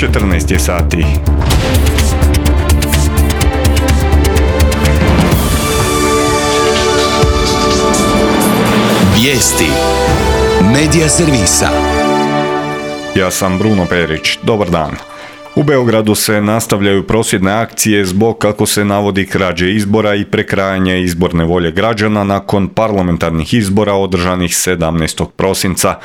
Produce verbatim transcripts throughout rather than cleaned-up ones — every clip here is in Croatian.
četrnaest je sati. Vijesti Medija servisa. Ja sam Bruno Perić. Dobar dan. U Beogradu se nastavljaju prosvjedne akcije zbog, kako se navodi, krađe izbora i prekrajanja izborne volje građana nakon parlamentarnih izbora održanih sedamnaestog prosinca.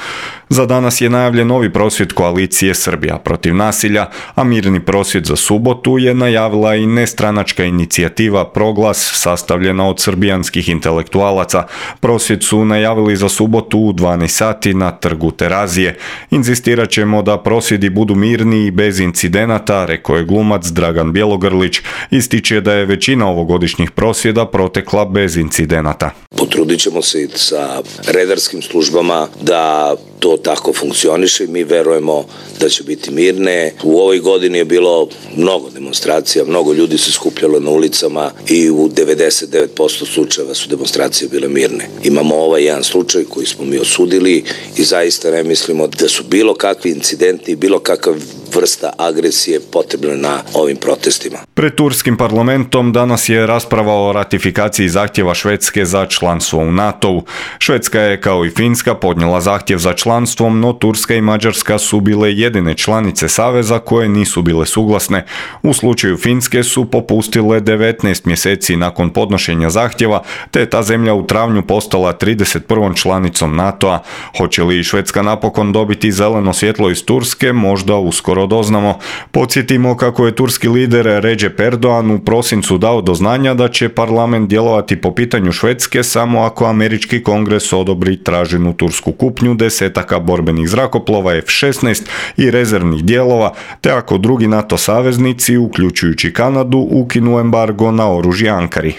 Za danas je najavljen novi prosvjed koalicije Srbija protiv nasilja, a mirni prosvjed za subotu je najavila i nestranačka inicijativa Proglas, sastavljena od srbijanskih intelektualaca. Prosvjed su najavili za subotu u dvanaest sati na trgu Terazije. Inzistirat ćemo da prosvjedi budu mirni i bez incidenata, rekao je glumac Dragan Bjelogrlić. Ističe da je većina ovogodišnjih prosvjeda protekla bez incidenata. Potrudit ćemo se i sa redarskim službama da to tako funkcioniše i mi verujemo da će biti mirne. U ovoj godini je bilo mnogo demonstracija, mnogo ljudi se skupljalo na ulicama i u devedeset devet posto slučajeva su demonstracije bile mirne. Imamo ovaj jedan slučaj koji smo mi osudili i zaista ne mislimo da su bilo kakvi incidenti, bilo kakva vrsta agresije potrebna na ovim protestima. Pred turskim parlamentom danas je rasprava o ratifikaciji zahtjeva Švedske za članstvo u NATO-u. Švedska je, kao i Finska, podnijela zahtjev za članstvom, no Turska i Mađarska su bile jedine članice saveza koje nisu bile suglasne. U slučaju Finske su popustile devetnaest mjeseci nakon podnošenja zahtjeva, te je ta zemlja u travnju postala trideset prvom članicom NATO-a. Hoće li Švedska napokon dobiti zeleno svjetlo iz Turske, možda uskoro doznamo. Podsjetimo kako je turski lider Recep Erdogan u prosincu dao do znanja da će parlament djelovati po pitanju Švedske samo ako američki kongres odobri traženu tursku kupnju desetaka borbenih zrakoplova F šesnaest i rezervnih dijelova, te ako drugi NATO saveznici, uključujući Kanadu, ukinu embargo na oružje Ankari.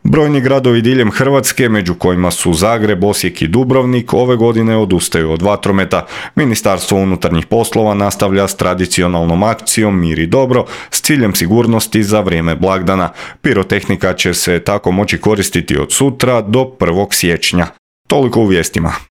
Brojni gradovi diljem Hrvatske, među kojima su Zagreb, Osijek i Dubrovnik, ove godine odustaju od vatrometa. Ministarstvo unutarnjih poslova nastavlja s tradicionalnom akcijom Mir i dobro s ciljem sigurnosti za vrijeme blagdana. Pirotehnika će se tako moći koristiti od sutra do prvog siječnja. Toliko u vijestima.